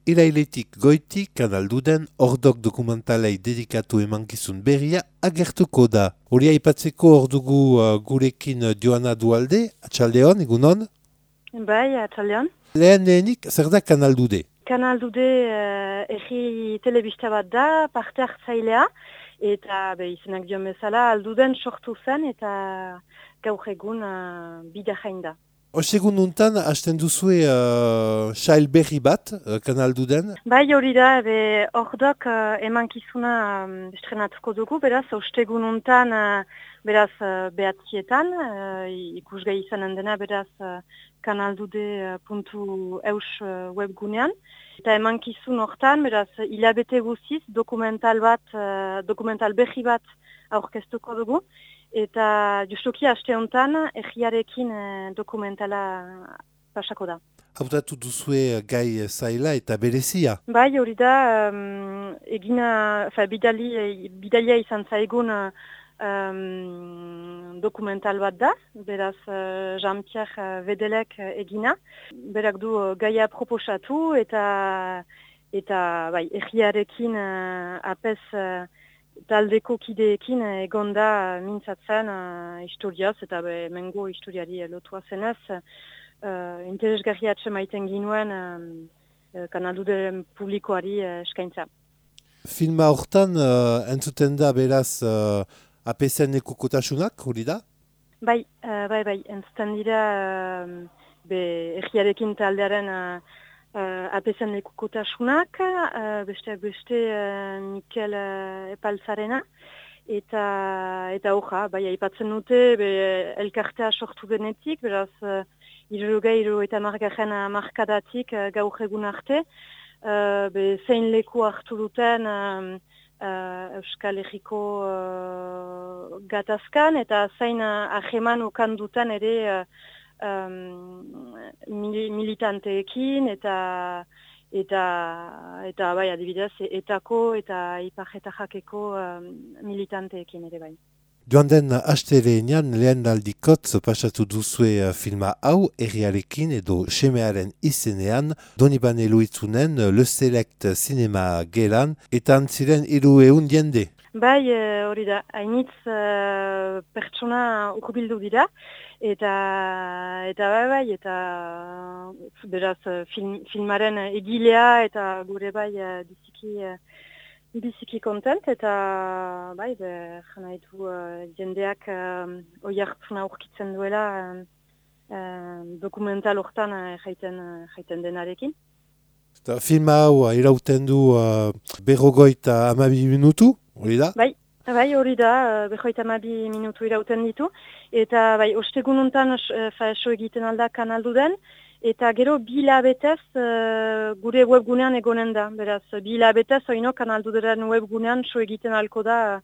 irailetik goitik kanalduden ordok dokumentalei dedikatu emankizun berria agertuko da. Hori aipatzeko ordugu gurekin Joana Dualde, atxaldeon, egunon? Bai, atxaldeon. Lehenik, zer da kanaldude? Kanaldude erri telebista bat da, parte hartzailea, eta izenak dion bezala alduden sortu zen eta gaur egun bida jain da. Ostegun nuntan, hasten duzue sail berri bat, kanalduden? Bai, hori da, ordok emankizuna estrenatuko dugu, beraz, ostegun nuntan, beraz, behatzietan, ikusgai izanen dena, beraz, kanaldude.eus webgunean. Eta emankizun hortan, beraz, hilabete guziz, dokumental berri bat aurkeztuko dugu. Eta justuki aste honetan erriarekin dokumentala pasako da. Hautatu duzue gai zaila eta berezia? Bai, hori da, bidalia izan zaigun dokumental bat da, beraz Jean-Pierre Vedelek egina. Berak du gaia proposatu eta erriarekin apez taldeko kideekin egonda mintzatzen historiaz eta mengo historiari lotua zenez interesgarria maiten ginuen kanaldude publikoari eskaintza. Filma hortan entzuten da beraz APZ-en ekokotasunak, hori da? Bai, entzuten dira erriarekin taldearen APZ-en ekokotasunak, besteak beste Mikel Epalzarena, eta hoja, aipatzen dute elkartea sortu denetik, beraz, 70 markadatik gaur egun arte, zein leku hartu duten Euskal Herriko gatazkan, eta zein aheman okan duten ere militanteekin eta adibidez etako eta ipar eta jakeko militanteekin ere bai. Joan den asteleenean lehen aldikotz pasatu duzue filma hau erriarekin edo semearen izenean Donibane Luitzunen Le Select Cinema Gelan eta antziren 300 jende. Bai, hori da, hainitz pertsona ukubildu dira, eta beraz filmaren egilea eta gure bai biziki kontent, eta jana ditu jendeak oihartzuna aurkitzen duela dokumental hortan jaiten denarekin. Eta filma hau irauten du 52 minutu, hori da? Bai, hori da, 52 minutu irauten ditu, eta ostegun honetan so egiten alda kanalduden, eta gero 2 hilabetez gure webgunean egonen da. Beraz, 2 hilabetez oino kanalduderen webgunean so egiten alko da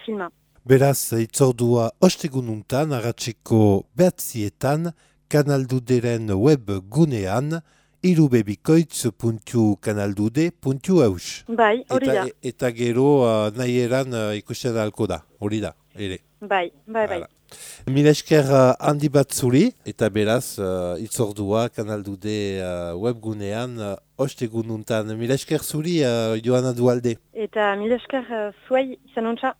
filma. Beraz, itzordua ostegun honetan, arratseko 9:00 kanalduderen webgunean, irubebikoitz.kanaldude.eus. Bai, hori da. Eta gero nahi eran ikusten alko da, hori da, ere. Bai. Mila esker handi bat zuri, eta beraz itzordua kanaldude webgunean ostegun nuntan. Mila esker zuri, Joana Dualde. Eta mila esker zuei izan ontsa.